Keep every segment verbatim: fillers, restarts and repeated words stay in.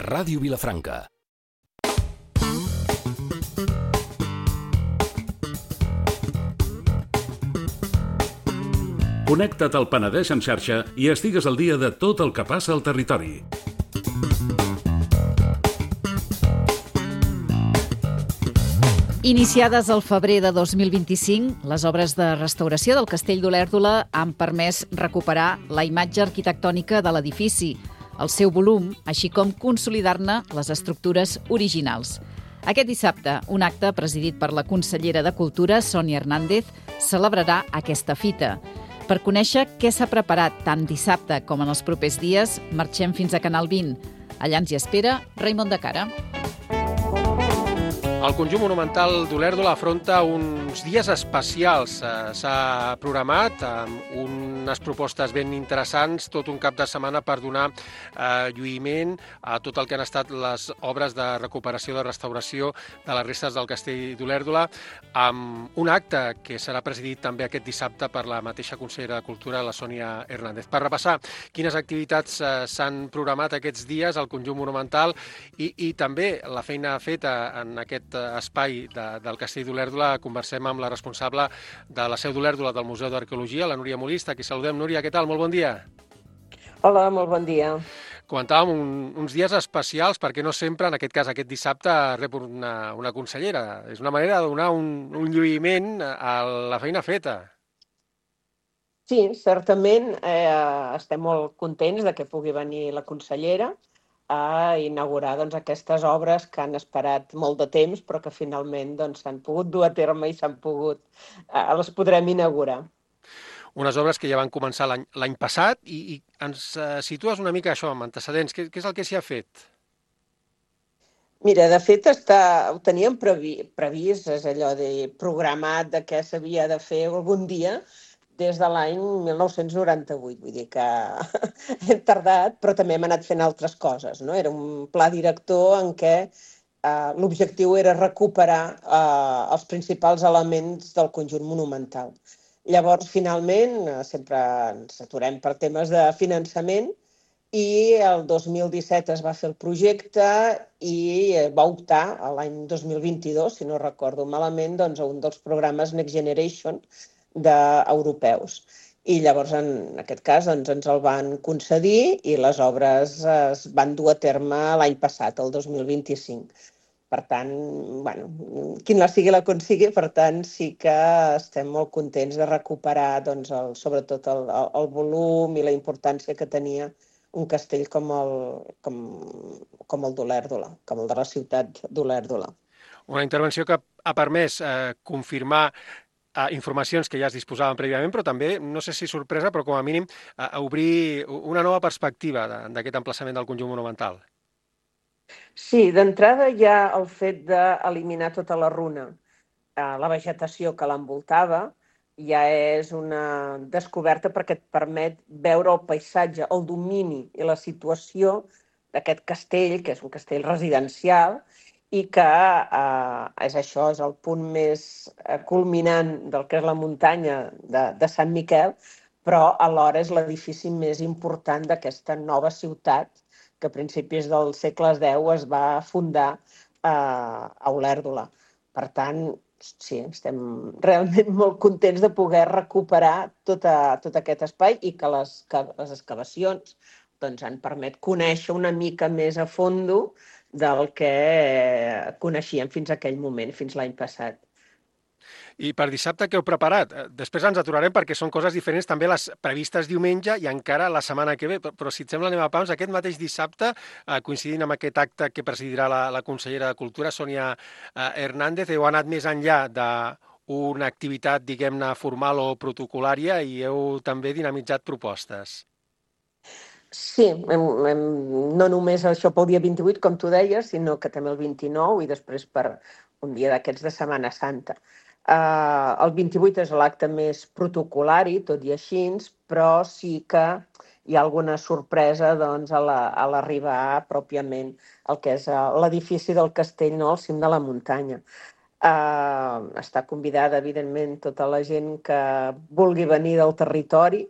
Ràdio Vilafranca. Connecta't al Penedès en xarxa i estigues al dia de tot el que passa al territori. Iniciades al febrer de dos mil vint-i-cinc, les obres de restauració del Castell d'Olèrdola han permès recuperar la imatge arquitectònica de l'edifici, el seu volum, així com consolidar-ne les estructures originals. Aquest dissabte, un acte presidit per la consellera de Cultura, Sònia Hernández, celebrarà aquesta fita. Per conèixer què s'ha preparat tant dissabte com en els propers dies, marxem fins a Canal vint. Allà ens hi espera Raimon de Cara. El conjunt monumental d'Olèrdola afronta uns dies especials. S'ha programat amb unes propostes ben interessants, tot un cap de setmana per donar eh, lluïment a tot el que han estat les obres de recuperació, de restauració de les restes del Castell d'Olèrdola, amb un acte que serà presidit també aquest dissabte per la mateixa consellera de Cultura, la Sònia Hernández. Per repassar quines activitats eh, s'han programat aquests dies al conjunt monumental i, i també la feina feta en aquest espai de, del Castell d'Olèrdola, conversem amb la responsable de la seu d'Olèrdola del Museu d'Arqueologia, la Núria Molista. Aquí saludem. Núria, què tal? Molt bon dia. Hola, molt bon dia. Comentàvem un, uns dies especials perquè no sempre, en aquest cas aquest dissabte, rep una, una consellera. És una manera de donar un, un lluïment a la feina feta. Sí, certament eh, estem molt contents de que pugui venir la consellera a inaugurar doncs, aquestes obres que han esperat molt de temps però que finalment doncs, s'han pogut dur a terme i s'han pogut, eh, les podrem inaugurar. Unes obres que ja van començar l'any l'any passat i, i ens eh, situes una mica això amb antecedents. Què, què és el que s'hi ha fet? Mira, de fet està, ho teníem previ, previst, és allò de programat de què s'havia de fer algun dia, des de l'any mil nou-cents noranta-vuit, vull dir que hem tardat, però també hem anat fent altres coses, no? Era un pla director en què eh, l'objectiu era recuperar eh, els principals elements del conjunt monumental. Llavors, finalment, eh, sempre ens aturem per temes de finançament i el dos mil disset es va fer el projecte i va optar l'any dos mil vint-i-dos, si no recordo malament, doncs, a un dels programes Next Generation d'europeus. I llavors, en aquest cas, doncs, ens el van concedir i les obres es van dur a terme l'any passat, el dos mil vint-i-cinc. Per tant, bueno, quin la sigui la consigui, per tant, sí que estem molt contents de recuperar doncs, el, sobretot el, el volum i la importància que tenia un castell com el, com, com el d'Olèrdola, com el de la ciutat d'Olèrdola. Una intervenció que ha permès eh, confirmar Uh, informacions que ja es disposaven prèviament, però també, no sé si sorpresa, però com a mínim uh, obrir una nova perspectiva d'aquest emplaçament del conjunt monumental. Sí, d'entrada hi ha el fet d'eliminar tota la runa. Uh, la vegetació que l'envoltava ja és una descoberta perquè et permet veure el paisatge, el domini i la situació d'aquest castell, que és un castell residencial, i que eh, és això, és el punt més culminant del que és la muntanya de, de Sant Miquel, però alhora és l'edifici més important d'aquesta nova ciutat que a principis del segle deu es va fundar eh, a Olèrdola. Per tant, sí, estem realment molt contents de poder recuperar tota, tot aquest espai i que les, que les excavacions doncs, han permet conèixer una mica més a fondo del que coneixíem fins a aquell moment, fins l'any passat. I per dissabte què heu preparat? Després ens aturarem perquè són coses diferents també les previstes diumenge i encara la setmana que ve, però si et sembla anem a pams. Aquest mateix dissabte, coincidint amb aquest acte que presidirà la, la consellera de Cultura, Sònia Hernández, heu anat més enllà d'una activitat, diguem-ne, formal o protocolària i heu també dinamitzat propostes. Sí, hem, hem, no només això pel dia vint-i-vuit, com tu deies, sinó que també el vint-i-nou i després per un dia d'aquests de Setmana Santa. Uh, el vint-i-vuit és l'acte més protocolari, tot i així, però sí que hi ha alguna sorpresa doncs, a l'arribar la, pròpiament al que és l'edifici del castell, no, al cim de la muntanya. Uh, està convidada, evidentment, tota la gent que vulgui venir del territori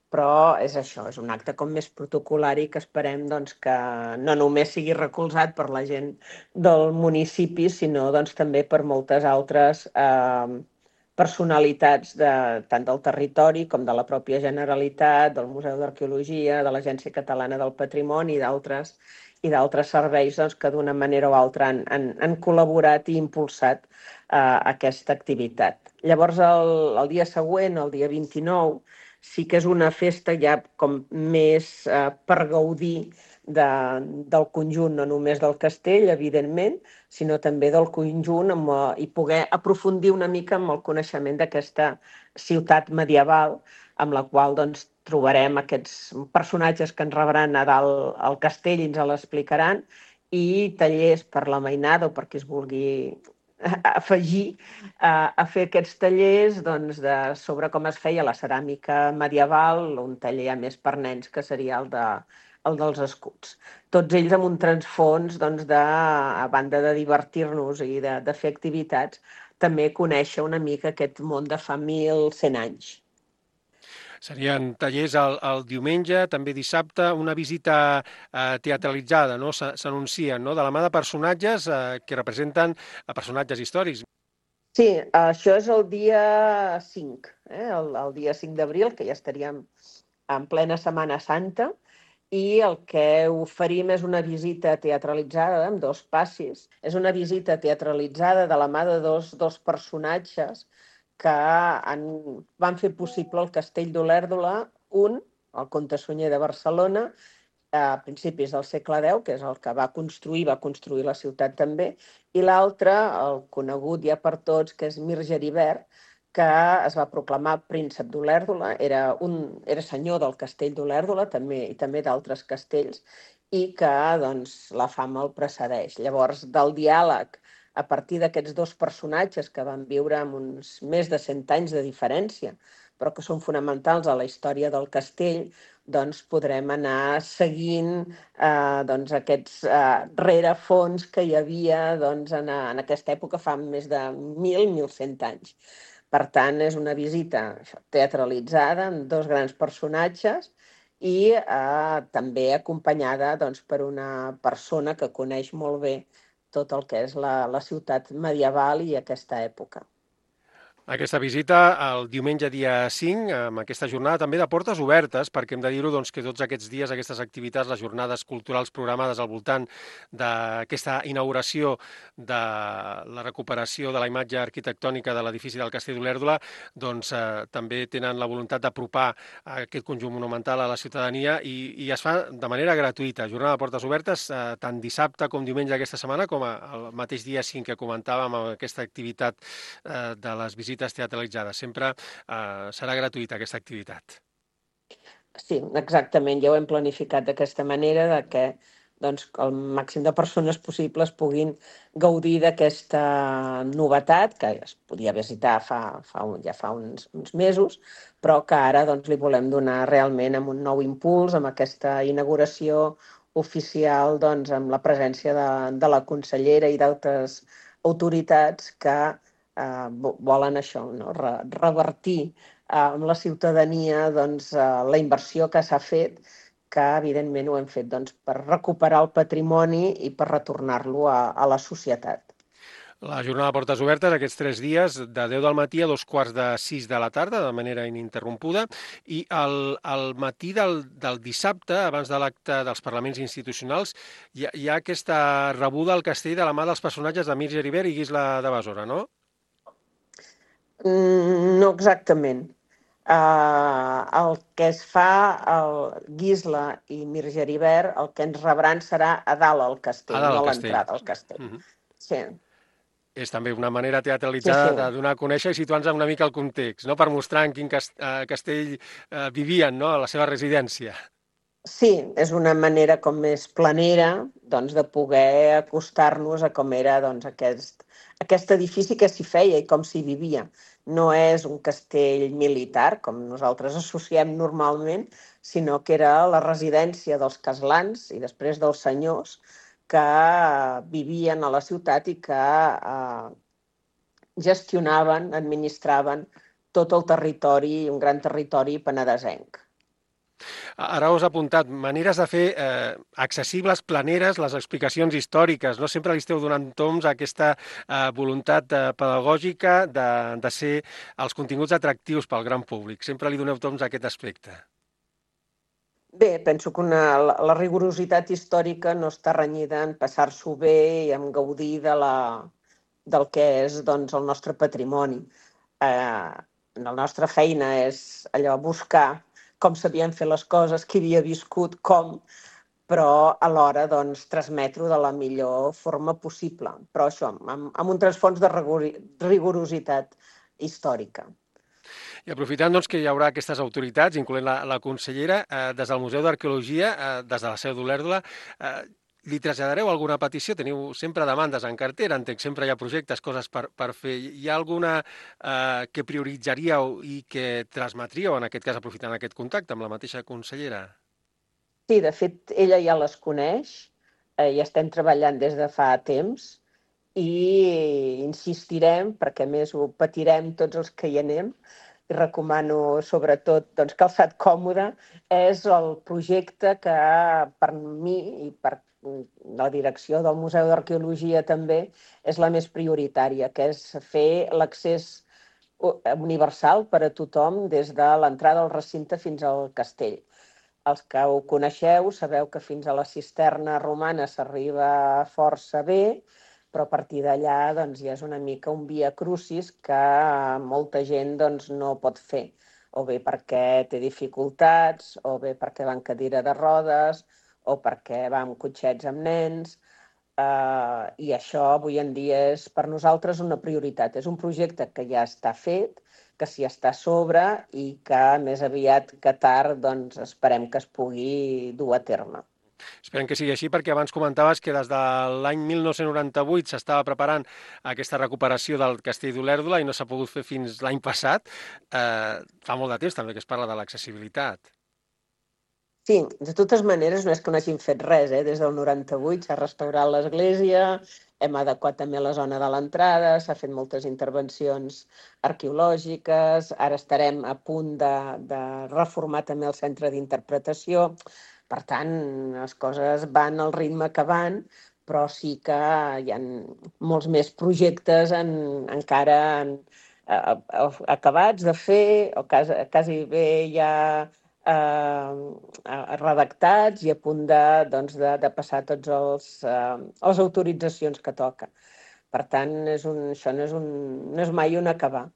però és això, és un acte com més protocolari que esperem doncs, que no només sigui recolzat per la gent del municipi, sinó doncs, també per moltes altres eh, personalitats de, tant del territori com de la pròpia Generalitat, del Museu d'Arqueologia, de l'Agència Catalana del Patrimoni i d'altres i d'altres serveis doncs, que d'una manera o altra han, han, han col·laborat i impulsat eh, aquesta activitat. Llavors, el, el dia següent, el dia vint-i-nou, sí que és una festa ja com més eh, per gaudir de, del conjunt, no només del castell, evidentment, sinó també del conjunt amb, eh, i poder aprofundir una mica amb el coneixement d'aquesta ciutat medieval, amb la qual doncs, trobarem aquests personatges que ens rebran a dalt al castell i ens l'explicaran, i tallers per la mainada o per qui es vulgui afegir a, a fer aquests tallers doncs, de, sobre com es feia la ceràmica medieval, un taller a més per nens que seria el, de, el dels escuts. Tots ells amb un transfons doncs, de, a banda de divertir-nos i de, de fer activitats, també conèixer una mica aquest món de fa mil cent anys. Serien tallers el, el diumenge, també dissabte, una visita eh, teatralitzada, no? S'anuncien, no? De la mà de personatges eh, que representen a personatges històrics. Sí, això és el dia cinc, eh? el, el dia cinc d'abril, que ja estaríem en plena Setmana Santa, i el que oferim és una visita teatralitzada amb dos passis. És una visita teatralitzada de la mà de dos, dos personatges que han, van fer possible el Castell d'Olèrdola, un, el comte Sunyer de Barcelona, a principis del segle deu, que és el que va construir, va construir la ciutat també, i l'altre, el conegut ja per tots, que és Mir Geribert, que es va proclamar príncep d'Olèrdola, era, un, era senyor del Castell d'Olèrdola també, i també d'altres castells, i que doncs, la fama el precedeix. Llavors, del diàleg a partir d'aquests dos personatges que van viure amb uns més de cent anys de diferència, però que són fonamentals a la història del castell, doncs podrem anar seguint eh, doncs aquests eh, rerefons que hi havia doncs, en, en aquesta època fa més de mil, mil cent anys. Per tant, és una visita teatralitzada amb dos grans personatges i eh, també acompanyada doncs, per una persona que coneix molt bé tot el que és la, la ciutat medieval i aquesta època. Aquesta visita el diumenge dia cinc, amb aquesta jornada també de portes obertes, perquè hem de dir-ho doncs, que tots aquests dies, aquestes activitats, les jornades culturals programades al voltant d'aquesta inauguració de la recuperació de la imatge arquitectònica de l'edifici del Castell d'Olèrdola, doncs eh, també tenen la voluntat d'apropar aquest conjunt monumental a la ciutadania i, i es fa de manera gratuïta. Jornada de portes obertes, eh, tant dissabte com diumenge aquesta setmana, com el mateix dia cinc que comentàvem amb aquesta activitat eh, de les visites teatralitzades. Sempre eh, serà gratuïta aquesta activitat. Sí, exactament. Ja ho hem planificat d'aquesta manera, de que doncs, el màxim de persones possibles puguin gaudir d'aquesta novetat, que es podia visitar fa, fa un, ja fa uns, uns mesos, però que ara doncs, li volem donar realment amb un nou impuls, amb aquesta inauguració oficial, doncs, amb la presència de, de la consellera i d'altres autoritats que Uh, volen això, no? Re revertir uh, amb la ciutadania doncs, uh, la inversió que s'ha fet, que evidentment ho hem fet doncs, per recuperar el patrimoni i per retornar-lo a, a la societat. La jornada de portes obertes, aquests tres dies, de deu del matí a dos quarts de sis de la tarda, de manera ininterrompuda, i el, el matí del, del dissabte, abans de l'acte dels parlaments institucionals, hi ha, hi ha aquesta rebuda al castell de la mà dels personatges de Mir Geribert i Guisla de Besora, no? No exactament. Uh, el que es fa, el Guisla i Mir Geribert, el que ens rebran serà a dalt al castell, dalt no a castell. l'entrada al castell. Uh-huh. Sí. És també una manera teatralitzada sí, sí. de donar a conèixer i situar-nos una mica el context, no? Per mostrar en quin castell uh, vivien, no? A la seva residència. Sí, és una manera com més planera doncs, de poder acostar-nos a com era doncs, aquest, aquest edifici que s'hi feia i com s'hi vivia. No és un castell militar, com nosaltres associem normalment, sinó que era la residència dels castlans i després dels senyors que vivien a la ciutat i que eh, gestionaven, administraven tot el territori, un gran territori penedesenc. Ara us he apuntat maneres de fer eh, accessibles, planeres, les explicacions històriques. No sempre li esteu donant toms a aquesta eh, voluntat eh, pedagògica de, de ser els continguts atractius pel gran públic. Sempre li doneu toms a aquest aspecte. Bé, penso que una, la, la rigorositat històrica no està renyida en passar-s'ho bé i en gaudir de la, del que és doncs, el nostre patrimoni. Eh, la nostra feina és allò buscar com s'havien fet les coses, qui havia viscut, com, però alhora doncs, transmetre-ho de la millor forma possible. Però això, amb, amb un transfons de rigorositat històrica. I aprofitant doncs, que hi haurà aquestes autoritats, incloent la, la consellera, eh, des del Museu d'Arqueologia, eh, des de la seu d'Olèrdola, eh, li traslladareu alguna petició? Teniu sempre demandes en cartera, entenc, sempre hi ha projectes, coses per, per fer. Hi ha alguna eh, que prioritzaríeu i que transmetríeu, en aquest cas aprofitant aquest contacte amb la mateixa consellera? Sí, de fet, ella ja les coneix, eh, i estem treballant des de fa temps i insistirem, perquè a més ho patirem tots els que hi anem, i recomano sobretot doncs, calçat còmode, és el projecte que per mi i per la direcció del Museu d'Arqueologia també és la més prioritària, que és fer l'accés universal per a tothom des de l'entrada al recinte fins al castell. Els que ho coneixeu sabeu que fins a la cisterna romana s'arriba força bé, però a partir d'allà doncs, ja és una mica un via crucis que molta gent doncs, no pot fer, o bé perquè té dificultats, o bé perquè va en cadira de rodes, o perquè va amb cotxets amb nens, eh, i això avui en dia és per nosaltres una prioritat. És un projecte que ja està fet, que s'hi està a sobre i que més aviat que tard doncs, esperem que es pugui dur a terme. Esperem que sigui així, perquè abans comentaves que des de l'any mil nou-cents noranta-vuit s'estava preparant aquesta recuperació del castell d'Olèrdola i no s'ha pogut fer fins l'any passat. Eh, fa molt de temps també que es parla de l'accessibilitat. Sí, de totes maneres no és que no hagin fet res, eh? Des del noranta-vuit s'ha restaurat l'església, hem adequat també la zona de l'entrada, s'ha fet moltes intervencions arqueològiques, ara estarem a punt de, de reformar també el centre d'interpretació. Per tant, les coses van al ritme que van, però sí que hi ha molts més projectes en, encara en, a, a, acabats de fer, o quasi, quasi bé ja eh, redactats i a punt de, doncs, de, de passar tots els, eh, les autoritzacions que toca. Per tant, és un, això no és, un, no és mai un acabar.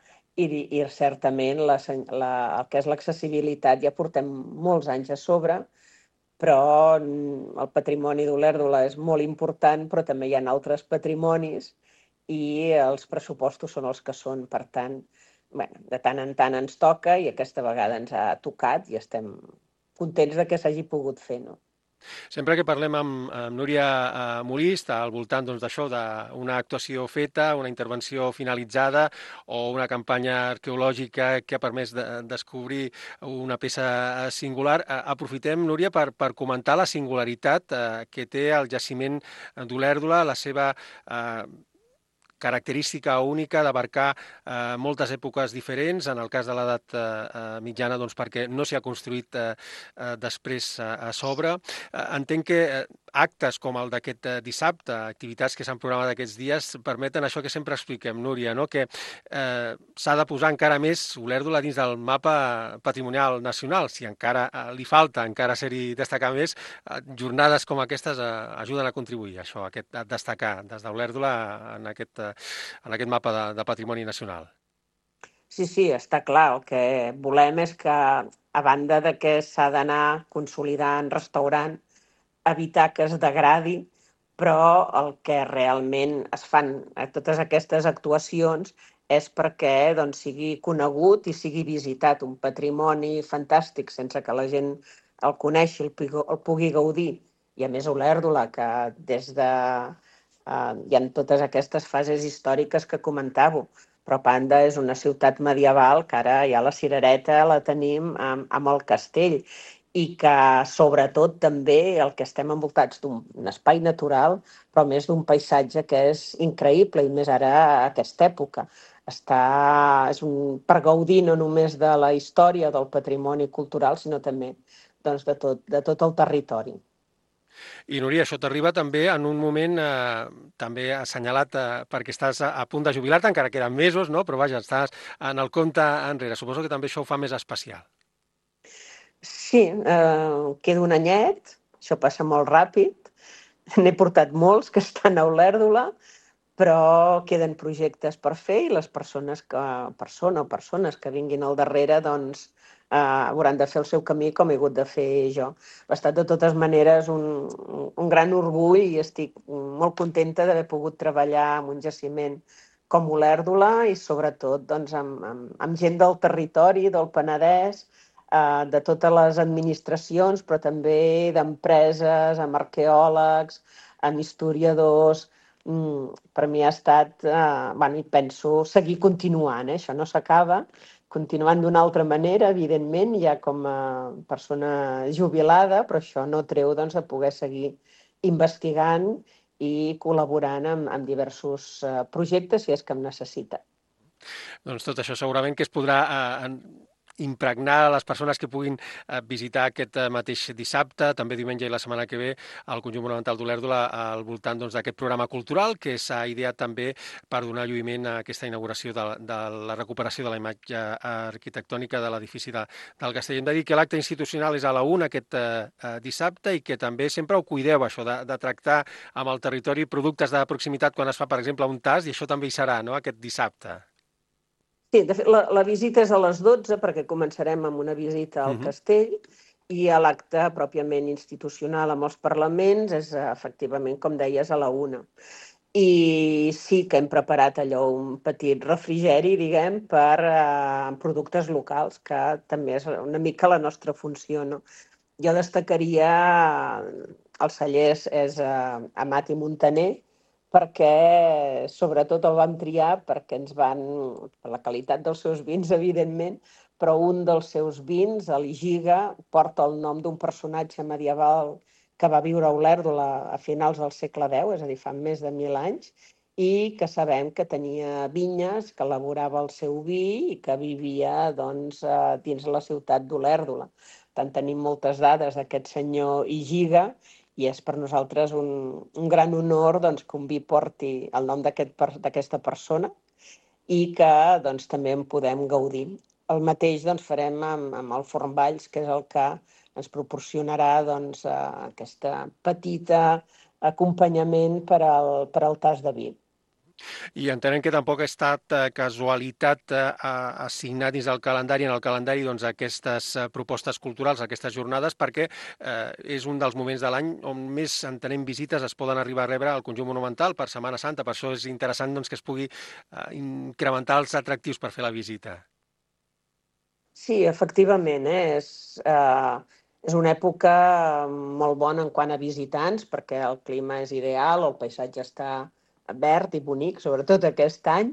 I, i certament la, la, el que és l'accessibilitat ja portem molts anys a sobre, però el patrimoni d'Olèrdola és molt important, però també hi ha altres patrimonis i els pressupostos són els que són. Per tant, bueno, de tant en tant ens toca i aquesta vegada ens ha tocat i estem contents de que s'hagi pogut fer, no? Sempre que parlem amb, amb Núria eh, Molí, està al voltant doncs, d'això, d'una actuació feta, una intervenció finalitzada o una campanya arqueològica que ha permès de, descobrir una peça singular. Eh, aprofitem, Núria, per, per comentar la singularitat eh, que té el jaciment d'Olèrdola, la seva eh, característica única d'abarcar eh, moltes èpoques diferents, en el cas de l'edat eh, mitjana, doncs perquè no s'hi ha construït eh, eh, després eh, a sobre. Eh, entenc que eh, actes com el d'aquest eh, dissabte, activitats que s'han programat aquests dies, permeten això que sempre expliquem, Núria, no? Que eh, s'ha de posar encara més Olèrdola dins del mapa patrimonial nacional. Si encara eh, li falta, encara ser-hi destacar més, eh, jornades com aquestes eh, ajuden a contribuir a això, a, aquest, a destacar des d'Olèrdola en aquest eh, en aquest mapa de, de patrimoni nacional. Sí, sí, està clar. El que volem és que, a banda de que s'ha d'anar consolidant, restaurant, evitar que es degradi, però el que realment es fan a totes aquestes actuacions és perquè doncs, sigui conegut i sigui visitat un patrimoni fantàstic sense que la gent el coneixi, el, el pugui gaudir. I a més Olèrdola, que des de Uh, hi ha totes aquestes fases històriques que comentàveu, però a banda és una ciutat medieval que ara ja la cirereta la tenim amb, amb el castell i que sobretot també el que estem envoltats d'un espai natural, però més d'un paisatge que és increïble i més ara a aquesta època. Està, és un, per gaudir no només de la història del patrimoni cultural, sinó també doncs, de, tot, de tot el territori. I Núria, això t'arriba també en un moment eh, també assenyalat eh, perquè estàs a, a punt de jubilar-te, encara queden mesos, no? Però vaja, estàs en el compte enrere. Suposo que també això ho fa més especial. Sí, eh, queda un anyet, això passa molt ràpid. N'he portat molts que estan a Olèrdola, però queden projectes per fer i les persones que, persona o persones que vinguin al darrere, doncs, eh, hauran de fer el seu camí com he hagut de fer jo. Ha estat de totes maneres un, un gran orgull i estic molt contenta d'haver pogut treballar en un jaciment com Olèrdola i sobretot doncs, amb, amb, amb gent del territori, del Penedès, eh, de totes les administracions, però també d'empreses, amb arqueòlegs, amb historiadors. Mm, per mi ha estat, eh, bueno, i penso seguir continuant, eh? Això no s'acaba, continuant d'una altra manera, evidentment, ja com a persona jubilada, però això no treu doncs, de poder seguir investigant i col·laborant amb, amb diversos eh, projectes si és que em necessita. Doncs tot això segurament que es podrà eh, impregnar les persones que puguin eh, visitar aquest eh, mateix dissabte, també diumenge i la setmana que ve, al Conjunt Monumental d'Olèrdola al voltant doncs, d'aquest programa cultural que s'ha ideat també per donar lluïment a aquesta inauguració de, de la recuperació de la imatge arquitectònica de l'edifici de, del Castell. Hem de dir que l'acte institucional és a la una aquest eh, dissabte i que també sempre ho cuideu, això, de, de tractar amb el territori productes de proximitat quan es fa, per exemple, un tast, i això també hi serà, no?, aquest dissabte. Sí, de fet, la, la visita és a les dotze perquè començarem amb una visita al uh-huh. castell i a l'acte pròpiament institucional amb els parlaments és efectivament, com deies, a la una. I sí que hem preparat allò un petit refrigeri, diguem, per eh, productes locals, que també és una mica la nostra funció, no? Jo destacaria els cellers és eh, Amat i Muntaner, perquè sobretot el vam triar perquè ens van, per la qualitat dels seus vins, evidentment, però un dels seus vins, l'Igiga, porta el nom d'un personatge medieval que va viure a Olèrdola a finals del segle deu, és a dir, fa més de mil anys, i que sabem que tenia vinyes, que elaborava el seu vi i que vivia doncs, dins la ciutat d'Olèrdola. Tant tenim moltes dades d'aquest senyor Igiga, i és per nosaltres un, un gran honor doncs, que un vi porti el nom d'aquesta aquest, persona i que doncs, també en podem gaudir. El mateix doncs, farem amb, amb el Forn Valls, que és el que ens proporcionarà doncs, aquesta petita acompanyament per al, per al tas de vi. I entenem que tampoc ha estat eh, casualitat eh, assignar dins del calendari, en el calendari, doncs, aquestes eh, propostes culturals, aquestes jornades, perquè eh, és un dels moments de l'any on més entenem visites es poden arribar a rebre al Conjunt Monumental per Setmana Santa. Per això és interessant doncs, que es pugui eh, incrementar els atractius per fer la visita. Sí, efectivament, eh? és, eh, és una època molt bona en quant a visitants, perquè el clima és ideal, el paisatge està verd i bonic, sobretot aquest any,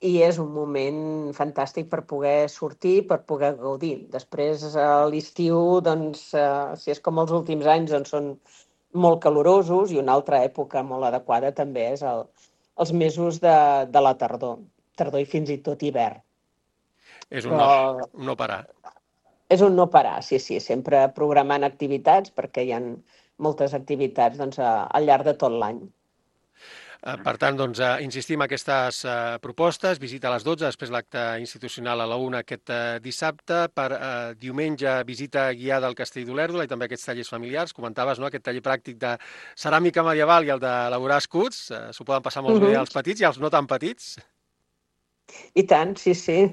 i és un moment fantàstic per poder sortir, per poder gaudir. Després, a l'estiu, doncs, eh, si és com els últims anys, doncs són molt calorosos i una altra època molt adequada també és el, els mesos de, de la tardor, tardor i fins i tot hivern. És un, Però... no, un no parar. És un no parar, sí, sí, sempre programant activitats, perquè hi ha moltes activitats doncs, al llarg de tot l'any. Per tant, doncs, insistim en aquestes propostes, visita a les dotze, després l'acte institucional a la una aquest dissabte, per eh, diumenge visita guiada al Castell d'Olèrdola i també aquests tallers familiars. Comentaves, no?, aquest taller pràctic de ceràmica medieval i el d'elaborar escuts. Eh, S'ho poden passar molt uh-huh. bé els petits i els no tan petits. I tant, sí, sí.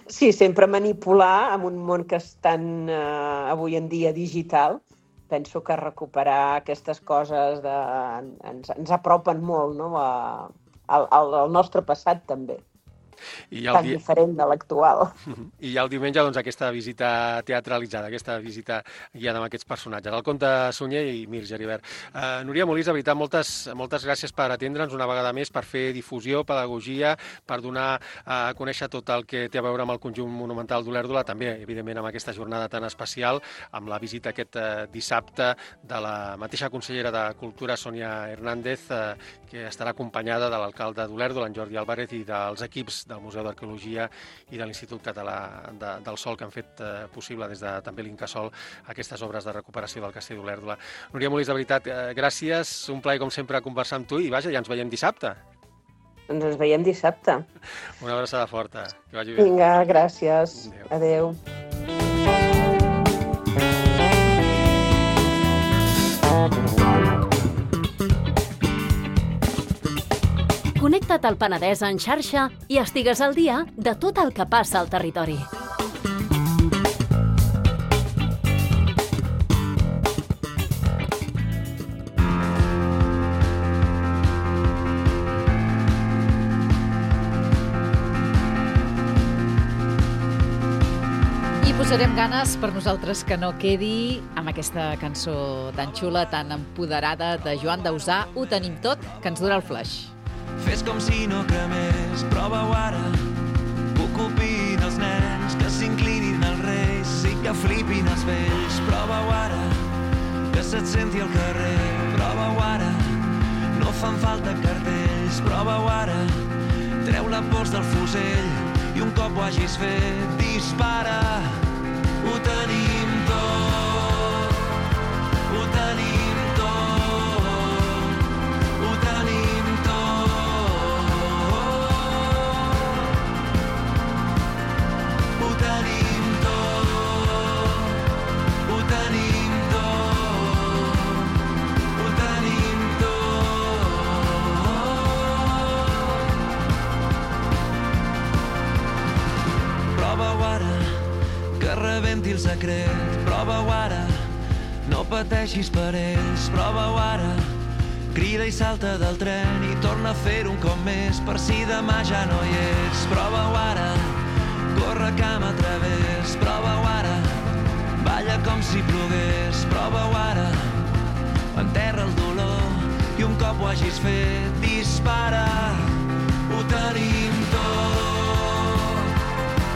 Sí, sempre manipular en un món que és tan, eh, avui en dia, digital. Penso que recuperar aquestes coses de, ens, ens apropen molt, no?, a, al, al nostre passat també. I tan di... diferent de l'actual. I ja el diumenge, doncs, aquesta visita teatralitzada, aquesta visita guiada amb aquests personatges. El Comte Sunyer i Mir Geribert. Uh, Núria Molís, de veritat, moltes, moltes gràcies per atendre'ns una vegada més, per fer difusió, pedagogia, per donar a conèixer tot el que té a veure amb el Conjunt Monumental d'Olèrdola, també, evidentment, amb aquesta jornada tan especial, amb la visita aquest uh, dissabte de la mateixa consellera de Cultura, Sònia Hernández, uh, que estarà acompanyada de l'alcalde d'Olèrdola, en Jordi Álvarez, i dels equips del Museu d'Arqueologia i de l'Institut Català de, del Sol, que han fet eh, possible des de també l'Incasol aquestes obres de recuperació del Castell d'Olèrdola. Núria Molís, de veritat, eh, gràcies, un plaer com sempre conversar amb tu i vaja, ja ens veiem dissabte. Doncs ens veiem dissabte. Una abraçada forta, que vagi bé. Vinga, gràcies. Adéu. Connecta't al Penedès en xarxa i estigues al dia de tot el que passa al territori. I posarem ganes per nosaltres que no quedi amb aquesta cançó tan xula, tan empoderada de Joan Dausà, Ho tenim tot, que ens dura el flaix. Fes com si no cremés, prova-ho ara. Que ocupin els nens, que s'inclinin els reis i que flipin els vells. Prova-ho ara, que se't senti al carrer. Prova-ho ara, no fan falta cartells. Prova-ho ara, treu la pols del fusell i un cop ho hagis fet, dispara. Ho tenim tot, ho tenim tot, ho tenim tot. Ho tenim tot, ho tenim tot, ho tenim tot. Prova-ho ara, que rebenti el secret. Prova-ho ara, no pateixis per ells. Prova-ho ara, crida i salta del tren i torna a fer-ho un cop més per si demà ja no hi ets. Prova-ho ara, corre cam a través. Prova-ho ara, balla com si plogués. Prova-ho ara, enterra el dolor i un cop ho hagis fet, dispara. Ho tenim tot,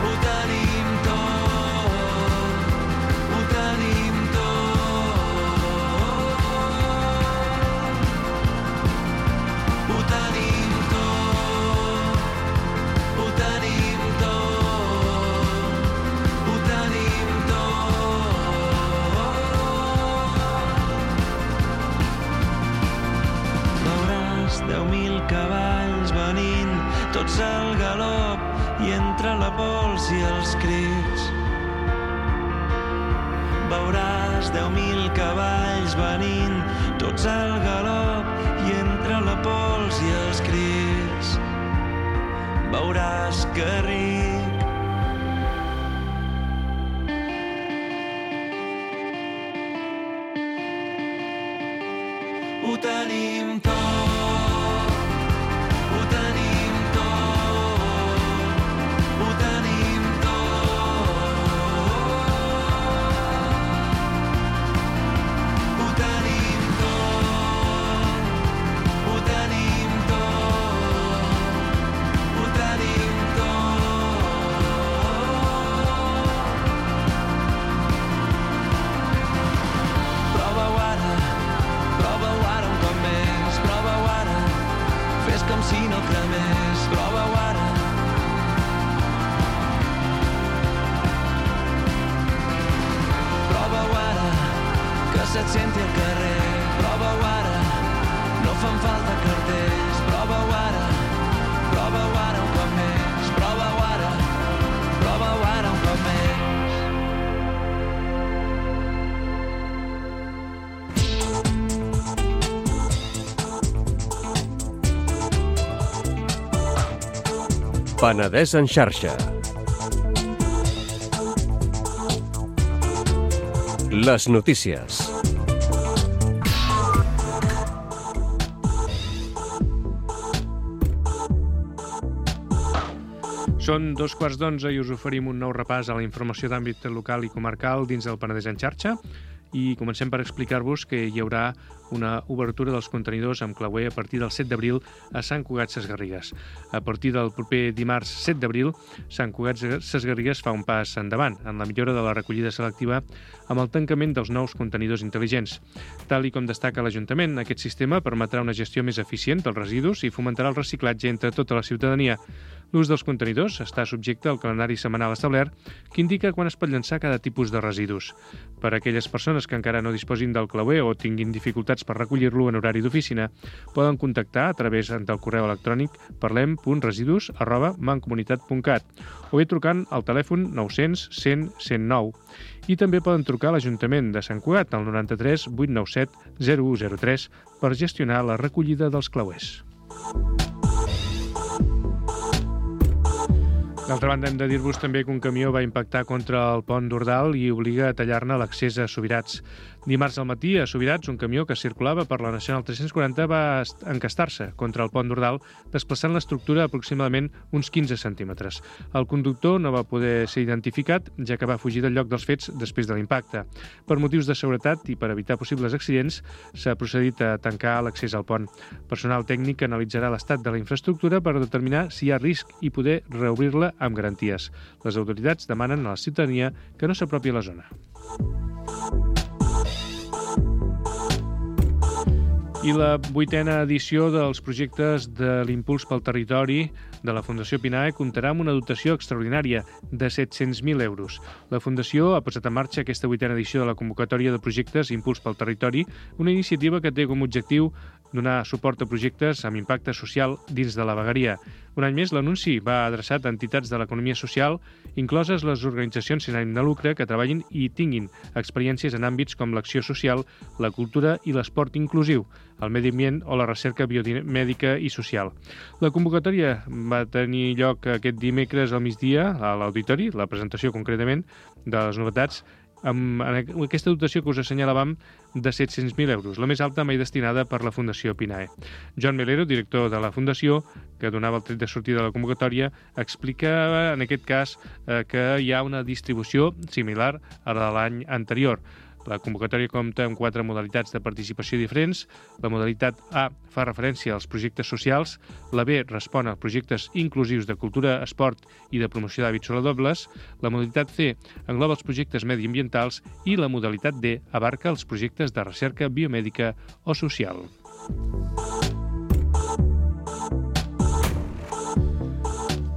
ho tenim tot, ho tenim tot, ho tenim tot, ho tenim tot, ho tenim tot. Veuràs deu mil cavalls venint, tots al galop, i entre la pols i els crits. Veuràs deu mil cavalls venint, tots al galop, i entre la pols i els crits. Veuràs que ric. Ho tenim tot, ho tenim tot, ho tenim tot, ho tenim tot, ho tenim tot, ho tenim tot. Prova-ho ara, prova-ho ara un cop més. Prova-ho ara, fes com si no cremés. Prova-ho ara. Prova-ho ara, que se't senti al carrer. Prova-ho ara, no fan falta cartells. Prova-ho ara, prova-ho ara un cop més. Prova-ho ara, prova-ho ara un cop més. Penedès en xarxa. Les notícies. Són dos quarts d'onze i us oferim un nou repàs a la informació d'àmbit local i comarcal dins del Penedès en xarxa. I comencem per explicar-vos que hi haurà una obertura dels contenidors amb clauer a partir del set d'abril a Sant Cugat Sesgarrigues. A partir del proper dimarts set d'abril, Sant Cugat Sesgarrigues fa un pas endavant en la millora de la recollida selectiva amb el tancament dels nous contenidors intel·ligents. Tal i com destaca l'Ajuntament, aquest sistema permetrà una gestió més eficient dels residus i fomentarà el reciclatge entre tota la ciutadania. L'ús dels contenidors està subjecte al calendari setmanal establert que indica quan es pot llançar cada tipus de residus. Per a aquelles persones que encara no disposin del clauer o tinguin dificultats per recollir-lo en horari d'oficina, poden contactar a través del correu electrònic parlem punt residus arroba mancomunitat punt cat o bé trucant al telèfon nou-cents cent cent nou. I també poden trucar a l'Ajuntament de Sant Cugat al noranta-tres vuit nou set zero u zero tres per gestionar la recollida dels clauers. D'altra banda, hem de dir-vos també que un camió va impactar contra el pont d'Ordal i obliga a tallar-ne l'accés a Subirats. Dimarts al matí, a Subirats, un camió que circulava per la Nacional tres-cents quaranta va encastar-se contra el pont d'Ordal, desplaçant l'estructura aproximadament uns quinze centímetres. El conductor no va poder ser identificat, ja que va fugir del lloc dels fets després de l'impacte. Per motius de seguretat i per evitar possibles accidents, s'ha procedit a tancar l'accés al pont. Personal tècnic analitzarà l'estat de la infraestructura per determinar si hi ha risc i poder reobrir-la amb garanties. Les autoritats demanen a la ciutadania que no s'apropi a la zona. I la vuitena edició dels projectes de l'Impuls pel Territori de la Fundació Pinae comptarà amb una dotació extraordinària de set-cents mil euros. La Fundació ha posat en marxa aquesta vuitena edició de la convocatòria de projectes Impuls pel Territori, una iniciativa que té com a objectiu donar suport a projectes amb impacte social dins de la vegueria. Un any més, l'anunci va adreçat a entitats de l'economia social, incloses les organitzacions sense ànim de lucre que treballin i tinguin experiències en àmbits com l'acció social, la cultura i l'esport inclusiu, el medi ambient o la recerca biomèdica i social. La convocatòria va tenir lloc aquest dimecres al migdia a l'auditori, la presentació concretament de les novetats, amb aquesta dotació que us assenyalàvem de set-cents mil euros, la més alta mai destinada per la Fundació Pinae. Joan Melero, director de la Fundació, que donava el tret de sortida de la convocatòria, explica en aquest cas que hi ha una distribució similar a la de l'any anterior. La convocatòria compta amb quatre modalitats de participació diferents. La modalitat A fa referència als projectes socials, la B respon a projectes inclusius de cultura, esport i de promoció d'hàbits saludables, la modalitat C engloba els projectes mediambientals i la modalitat D abarca els projectes de recerca biomèdica o social.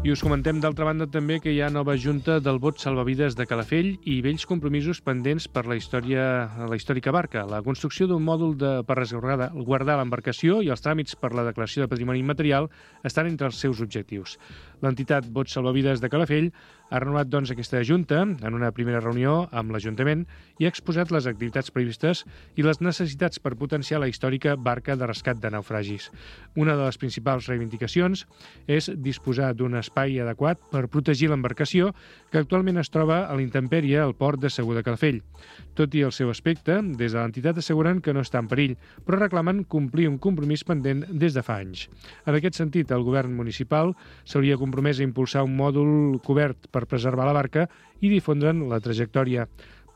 I us comentem, d'altra banda, també que hi ha nova junta del Bot Salvavides de Calafell i vells compromisos pendents per la història, la històrica barca. La construcció d'un mòdul de, per resguardar l'embarcació i els tràmits per la declaració de patrimoni immaterial estan entre els seus objectius. L'entitat Bot Salvavides de Calafell ha renovat doncs, aquesta junta en una primera reunió amb l'Ajuntament i ha exposat les activitats previstes i les necessitats per potenciar la històrica barca de rescat de naufragis. Una de les principals reivindicacions és disposar d'un espai adequat per protegir l'embarcació que actualment es troba a l'intempèrie al port de Segur de Calafell. Tot i el seu aspecte, des de l'entitat asseguren que no està en perill, però reclamen complir un compromís pendent des de fa anys. En aquest sentit, el govern municipal s'hauria compromès a impulsar un mòdul cobert per preservar la barca i difondre'n la trajectòria.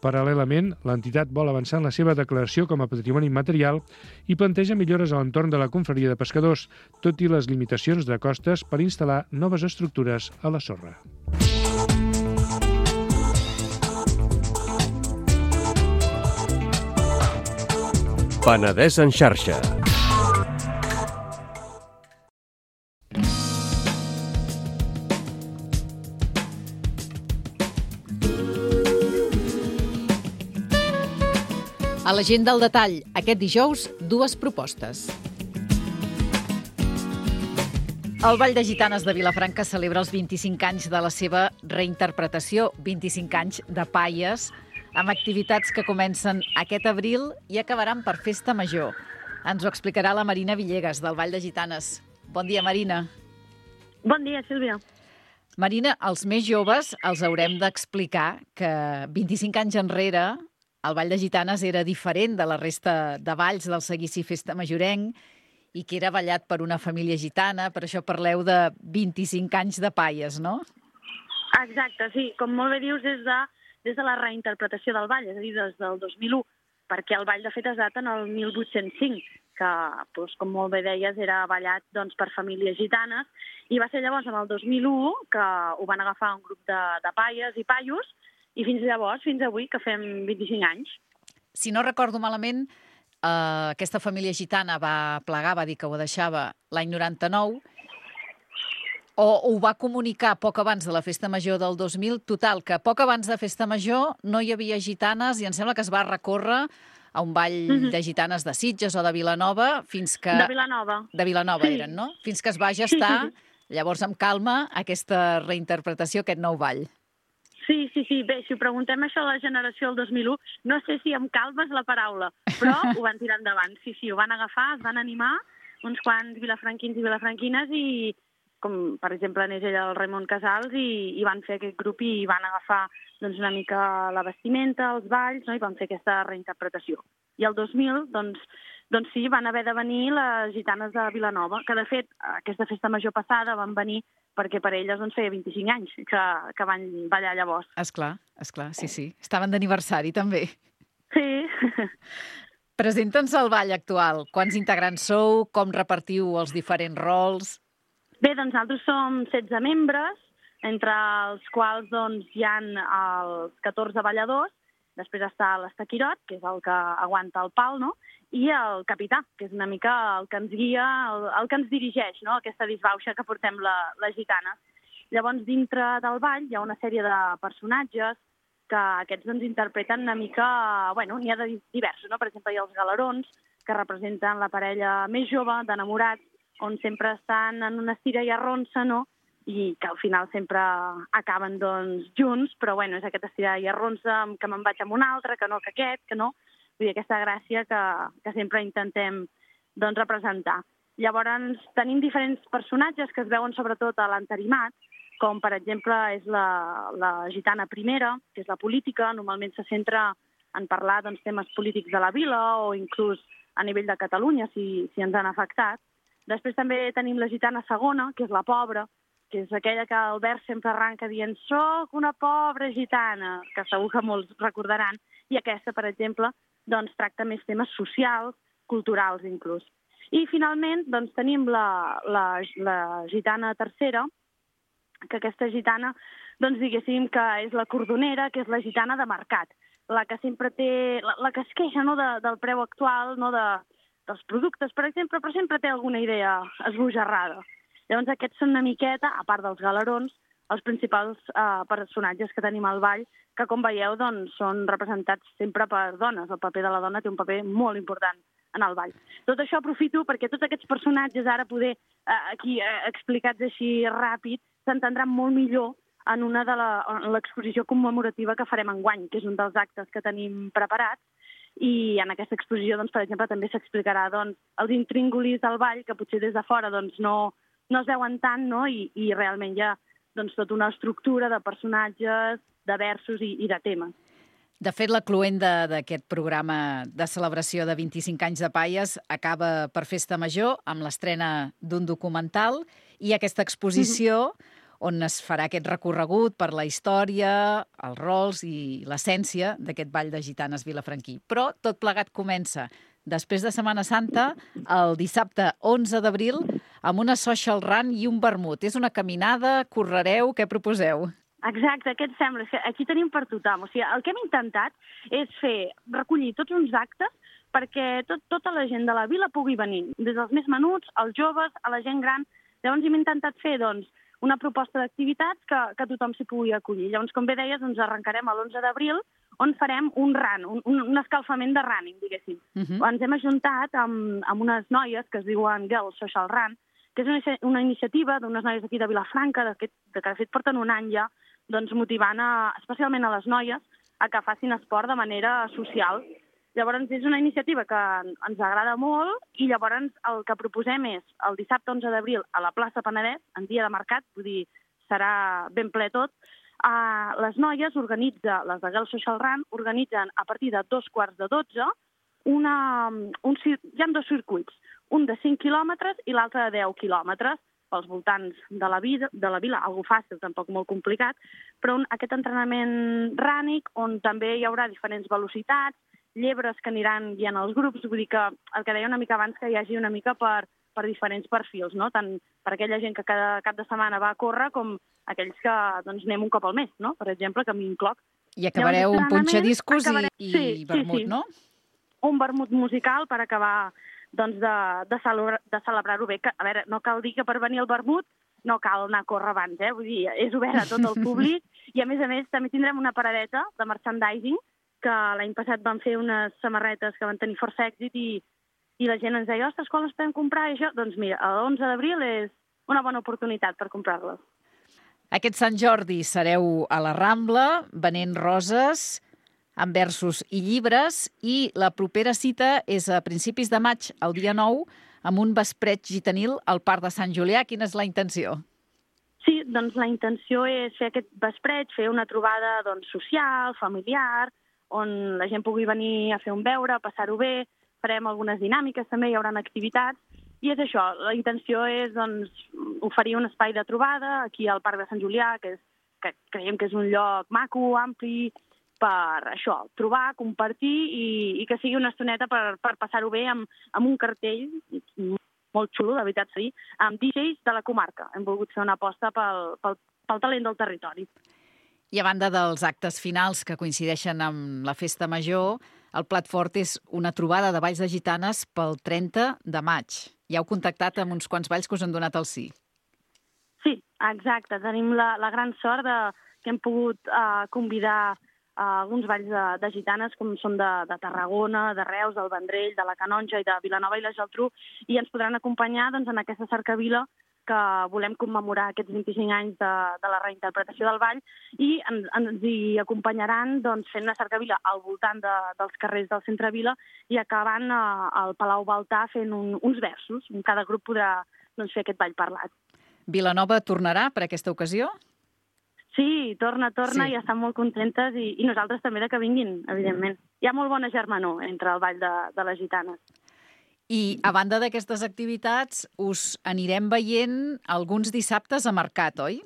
Paral·lelament, l'entitat vol avançar en la seva declaració com a patrimoni immaterial i planteja millores a l'entorn de la confraria de pescadors, tot i les limitacions de costes per instal·lar noves estructures a la sorra. Penedès en xarxa. A l'agenda al detall, aquest dijous, dues propostes. El Ball de Gitanes de Vilafranca celebra els vint-i-cinc anys de la seva reinterpretació, vint-i-cinc anys de Paies, amb activitats que comencen aquest abril i acabaran per Festa Major. Ens ho explicarà la Marina Villegas, del Ball de Gitanes. Bon dia, Marina. Bon dia, Sílvia. Marina, als més joves els haurem d'explicar que vint-i-cinc anys enrere el Ball de Gitanes era diferent de la resta de balls del seguici Festa Majorenc i que era ballat per una família gitana, per això parleu de vint-i-cinc anys de Paies, no? Exacte, sí. Com molt bé dius, des de, des de la reinterpretació del ball, és a dir, des del dos mil u, perquè el ball de fet es data en el mil vuit-cents cinc, que, doncs, com molt bé deies, era ballat doncs, per famílies gitanes, i va ser llavors en el dos mil u que ho van agafar un grup de, de paies i paios, i fins llavors, fins avui, que fem vint-i-cinc anys. Si no recordo malament, eh, aquesta família gitana va plegar, va dir que ho deixava l'any noranta-nou, O ho va comunicar poc abans de la Festa Major del dos mil. Total, que poc abans de Festa Major no hi havia gitanes i em sembla que es va recórrer a un ball mm-hmm. de gitanes de Sitges o de Vilanova fins que... De Vilanova. De Vilanova sí. eren, no? Fins que es va gestar, sí, sí, sí. llavors amb calma, aquesta reinterpretació, aquest nou ball. Sí, sí, sí. Bé, si ho preguntem això a la generació del dos mil u, no sé si amb calma és la paraula, però ho van tirar endavant. Sí, sí, ho van agafar, es van animar uns quants vilafranquins i vilafranquines i, com per exemple anés ella el Raimon Casals, i, i van fer aquest grup i van agafar doncs, una mica la vestimenta, els balls, no? I van fer aquesta reinterpretació. I el dos mil, doncs, doncs sí, van haver de venir les gitanes de Vilanova, que de fet aquesta festa major passada van venir perquè per elles doncs, feia vint-i-cinc anys que, que van ballar llavors. Esclar, esclar, sí, sí. Estaven d'aniversari també. Sí. Presenta'ns el ball actual. Quants integrants sou? Com repartiu els diferents rols? Bé, doncs nosaltres som setze membres, entre els quals doncs, hi ha els catorze balladors, després està l'Estaquirot, que és el que aguanta el pal, no? I el capità, que és una mica el que ens guia, el, el que ens dirigeix, no? Aquesta disbauxa que portem la, les gitanes. Llavors, dintre del ball hi ha una sèrie de personatges que aquests doncs, interpreten una mica... Bueno, n'hi ha de diversos, no? Per exemple, hi ha els galerons, que representen la parella més jove, d'enamorats, on sempre estan en una estira i arronsa, no? I que al final sempre acaben doncs, junts, però bueno, és aquesta estira i arronsa que me'n vaig amb un altre, que no, que aquest, que no... Vull dir, aquesta gràcia que, que sempre intentem doncs, representar. Llavors, tenim diferents personatges que es veuen sobretot a l'entarimat, com per exemple és la, la gitana primera, que és la política, normalment se centra en parlar doncs, temes polítics de la vila o inclús a nivell de Catalunya, si, si ens han afectat. Després també tenim la gitana segona, que és la pobra, que és aquella que el vers sempre arranca dient «Soc una pobra gitana», que segur que molts recordaran, i aquesta, per exemple, doncs, tracta més temes socials, culturals inclús. I finalment doncs, tenim la, la, la gitana tercera, que aquesta gitana, doncs, diguéssim que és la cordonera, que és la gitana de mercat, la que sempre té, la, la que es queixa no, de, del preu actual, no, de, dels productes, per exemple, però sempre té alguna idea esbojarrada. Llavors aquests són una miqueta, a part dels galerons, els principals eh, personatges que tenim al ball, que com veieu doncs, són representats sempre per dones. El paper de la dona té un paper molt important en el ball. Tot això aprofito perquè tots aquests personatges ara poder, eh, aquí eh, explicats així ràpid, s'entendran molt millor en una de l'exposició commemorativa que farem enguany, que és un dels actes que tenim preparats, i en aquesta exposició, doncs, per exemple, també s'explicarà doncs, els intríngulis del ball, que potser des de fora doncs, no, no es veuen tant, no? I, i realment hi ha doncs, tota una estructura de personatges, de versos i, i de temes. De fet, la cloenda d'aquest programa de celebració de vint-i-cinc anys de Paies acaba per Festa Major amb l'estrena d'un documental i aquesta exposició on es farà aquest recorregut per la història, els rols i l'essència d'aquest ball de gitanes vilafranquí. Però tot plegat comença després de Setmana Santa, el dissabte onze d'abril, amb una social run i un vermut. És una caminada, correreu, què proposeu? Exacte, què et sembla? Aquí tenim per tothom. O sigui, el que hem intentat és fer, recollir tots uns actes perquè tot, tota la gent de la vila pugui venir, des dels més menuts, als joves, a la gent gran. Llavors hem intentat fer doncs, una proposta d'activitats que, que tothom s'hi pugui acollir. Llavors, com bé deies, doncs arrencarem l'onze d'abril, on farem un run, un, un escalfament de running, diguéssim. Uh-huh. Ens hem ajuntat amb, amb unes noies que es diuen Girls Social Run, que és una, una iniciativa d'unes noies aquí de Vilafranca, de, de que de fet porten un any ja, doncs motivant a, especialment a les noies a que facin esport de manera social. Llavors és una iniciativa que ens agrada molt i llavors el que proposem és el dissabte onze d'abril a la plaça Penedès, en dia de mercat, vull dir, serà ben ple tot. Uh, les noies organitzen, les de Girls Social Run, organitzen a partir de dos quarts de dotze, una, un, hi ha dos circuits, un de cinc quilòmetres i l'altre de deu quilòmetres, pels voltants de la, vida, de la vila, algo fàcil, tampoc molt complicat, però un, aquest entrenament rànic on també hi haurà diferents velocitats, llebres que aniran guiant els grups, vull dir que el que deia una mica abans que hi hagi una mica per, per diferents perfils, no? Tant per aquella gent que cada cap de setmana va a córrer com aquells que doncs, anem un cop al mes, no? Per exemple, que m'hi incloc. I acabareu un punxadiscos acabarem... i, i sí, vermut, sí, sí. no? Un vermut musical per acabar doncs, de, de celebrar-ho bé. Que, a veure, no cal dir que per venir al vermut no cal anar a córrer abans, eh? Vull dir, és obert a tot el públic i, a més a més, també tindrem una paradeta de merchandising, que l'any passat van fer unes samarretes que van tenir força èxit i, i la gent ens deia, ostres, quan les podem comprar? I això, doncs mira, l'onze d'abril és una bona oportunitat per comprar-les. Aquest Sant Jordi sereu a la Rambla, venent roses, amb versos i llibres, i la propera cita és a principis de maig, el dia nou, amb un vespret gitanil al Parc de Sant Julià. Quina és la intenció? Sí, doncs la intenció és fer aquest vespret, fer una trobada doncs, social, familiar, on la gent pugui venir a fer un beure, passar-ho bé, farem algunes dinàmiques també, hi haurà activitats, i és això, la intenció és doncs, oferir un espai de trobada aquí al Parc de Sant Julià, que, és, que creiem que és un lloc maco, ampli, per això, trobar, compartir i, i que sigui una estoneta per, per passar-ho bé amb, amb un cartell molt xulo, de veritat, sí, amb D Js de la comarca. Hem volgut fer una aposta pel, pel, pel talent del territori. I a banda dels actes finals que coincideixen amb la Festa Major, el plat fort és una trobada de balls de gitanes pel trenta de maig. Ja heu contactat amb uns quants balls que us han donat el sí. Sí, exacte. Tenim la, la gran sort de, que hem pogut uh, convidar uh, alguns balls de, de gitanes, com són de, de Tarragona, de Reus, del Vendrell, de la Canonja i de Vilanova i la Geltrú, i ens podran acompanyar doncs, en aquesta cercavila que volem commemorar aquests vint-i-cinc anys de, de la reinterpretació del ball, i en, ens hi acompanyaran doncs, fent una cercavila al voltant de, dels carrers del centre Vila i acabant uh, al Palau Baltà fent un, uns versos. Cada grup podrà doncs, fer aquest ball parlat. Vilanova tornarà per aquesta ocasió? Sí, torna, torna, sí. I estan molt contentes i, i nosaltres també de que vinguin, evidentment. Hi ha molt bona germanor entre el ball de, de les gitanes. I a banda d'aquestes activitats, us anirem veient alguns dissabtes a mercat, oi?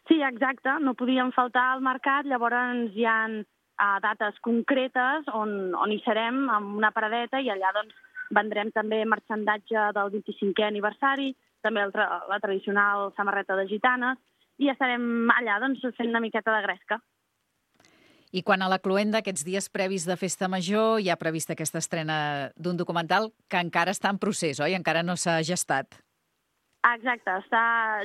Sí, exacte. No podíem faltar al mercat, llavors hi ha uh, dates concretes on, on hi serem amb una paradeta i allà doncs, vendrem també marxandatge del vint-i-cinquè aniversari, també el tra la tradicional samarreta de gitanes, i estarem allà doncs, fent una miqueta de gresca. I quan a la cloenda d'aquests dies previs de Festa Major hi ha prevista aquesta estrena d'un documental que encara està en procés, oi? Encara no s'ha gestat. Exacte, està...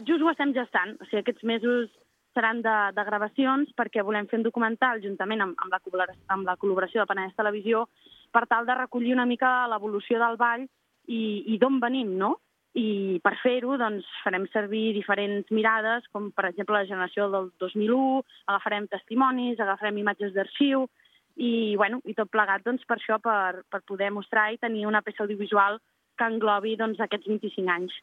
just ho estem gestant. O sigui, aquests mesos seran de, de gravacions perquè volem fer un documental juntament amb, amb, la, amb la col·laboració de Penedès Televisió per tal de recollir una mica l'evolució del ball i, i d'on venim, no? I per fer-ho doncs, farem servir diferents mirades, com per exemple la generació del dos mil u, agafarem testimonis, agafarem imatges d'arxiu i, bueno, i tot plegat doncs, per això, per, per poder mostrar i tenir una peça audiovisual que englobi doncs, aquests vint-i-cinc anys.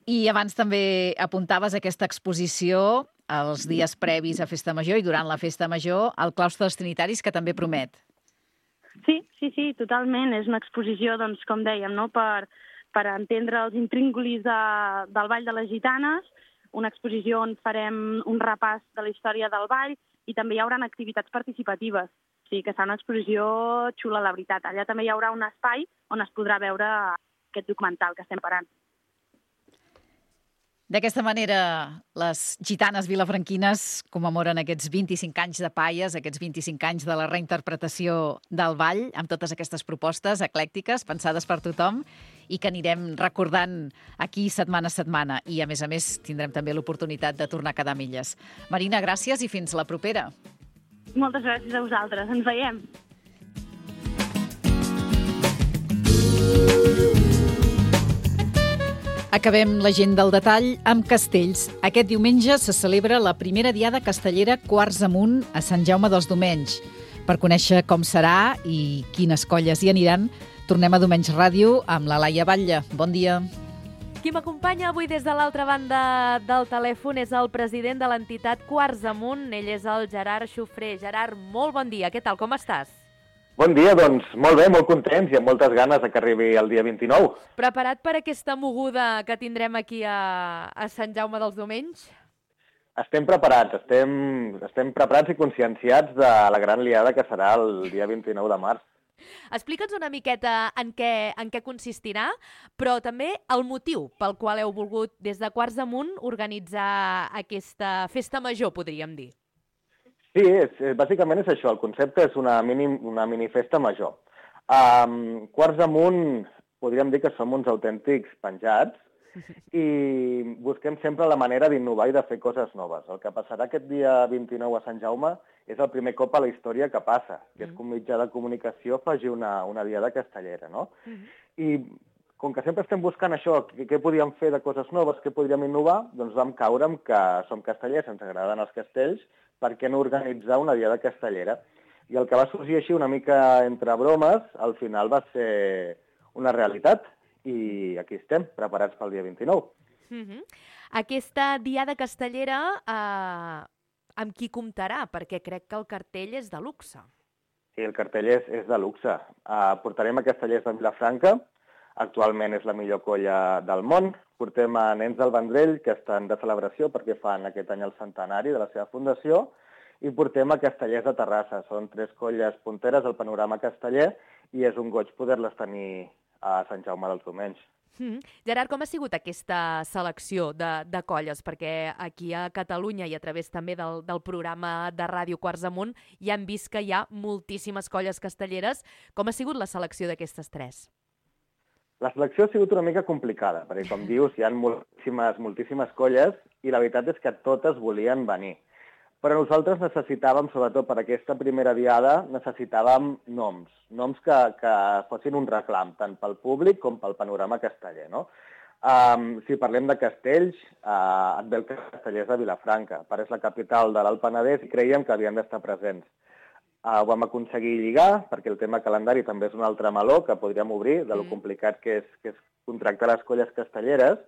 I abans també apuntaves aquesta exposició els dies previs a Festa Major i durant la Festa Major al Claustre dels Trinitaris, que també promet. Sí, sí, sí, totalment. És una exposició, doncs, com dèiem, no?, per... per entendre els intríngulis de, del Ball de les Gitanes, una exposició on farem un repàs de la història del ball i també hi haurà activitats participatives. O sigui que serà una exposició xula, la veritat. Allà també hi haurà un espai on es podrà veure aquest documental que estem parant. D'aquesta manera, les gitanes vilafranquines commemoren aquests vint-i-cinc anys de Paies, aquests vint-i-cinc anys de la reinterpretació del ball, amb totes aquestes propostes eclèctiques, pensades per tothom, i que anirem recordant aquí setmana a setmana. I, a més a més, tindrem també l'oportunitat de tornar a quedar milles. Marina, gràcies i fins la propera. Moltes gràcies a vosaltres. Ens veiem. Acabem la gent del detall amb castells. Aquest diumenge se celebra la primera diada castellera Quarts Amunt a Sant Jaume dels Domenys. Per conèixer com serà i quines colles hi aniran, tornem a Domenys Ràdio amb la Laia Batlle. Bon dia. Qui m'acompanya avui des de l'altra banda del telèfon és el president de l'entitat Quarts Amunt. Ell és el Gerard Xufré. Gerard, molt bon dia. Què tal, com estàs? Bon dia, doncs molt bé, molt contents i amb moltes ganes que arribi el dia vint-i-nou. Preparat per aquesta moguda que tindrem aquí a, a Sant Jaume dels Domenys? Estem preparats, estem, estem preparats i conscienciats de la gran liada que serà el dia vint-i-nou de març. Explica'ns una miqueta en què, en què consistirà, però també el motiu pel qual heu volgut des de Quarts Amunt organitzar aquesta festa major, podríem dir. Sí, és, bàsicament és això. El concepte és una mini, una minifesta major. Um, Quarts Amunt, podríem dir que som uns autèntics penjats i busquem sempre la manera d'innovar i de fer coses noves. El que passarà aquest dia vint-i-nou a Sant Jaume és el primer cop a la història que passa, que és que un mitjà de comunicació faci una, una diada castellera, no? I com que sempre estem buscant això, què, què podíem fer de coses noves, què podríem innovar, doncs vam caure amb que som castellers, ens agraden els castells, per què no organitzar una diada castellera? I el que va sorgir així una mica entre bromes, al final va ser una realitat, i aquí estem, preparats pel dia vint-i-nou. Uh-huh. Aquesta diada castellera, eh, amb qui comptarà? Perquè crec que el cartell és de luxe. Sí, el cartell és, és de luxe. Uh, portarem a Castellers de Vilafranca, actualment és la millor colla del món. Portem a Nens del Vendrell, que estan de celebració perquè fan aquest any el centenari de la seva fundació, i portem a Castellers de Terrassa. Són tres colles punteres al panorama casteller i és un goig poder-les tenir a Sant Jaume dels Domenys. Mm. Gerard, com ha sigut aquesta selecció de, de colles? Perquè aquí a Catalunya i a través també del, del programa de ràdio Quarts Amunt ja hem vist que hi ha moltíssimes colles castelleres. Com ha sigut la selecció d'aquestes tres? La selecció ha sigut una mica complicada, perquè com dius, hi ha moltíssimes, moltíssimes colles i la veritat és que totes volien venir. Però nosaltres necessitàvem, sobretot per aquesta primera diada, necessitàvem noms, noms que, que fossin un reclam, tant pel públic com pel panorama casteller, no? Um, si parlem de castells, uh, et ve el Castellers de Vilafranca, però és la capital de l'Alt Penedès i creiem que havien d'estar presents. Uh, ho vam aconseguir lligar, perquè el tema calendari també és un altre meló que podríem obrir, de lo complicat que és, que és contractar les colles castelleres,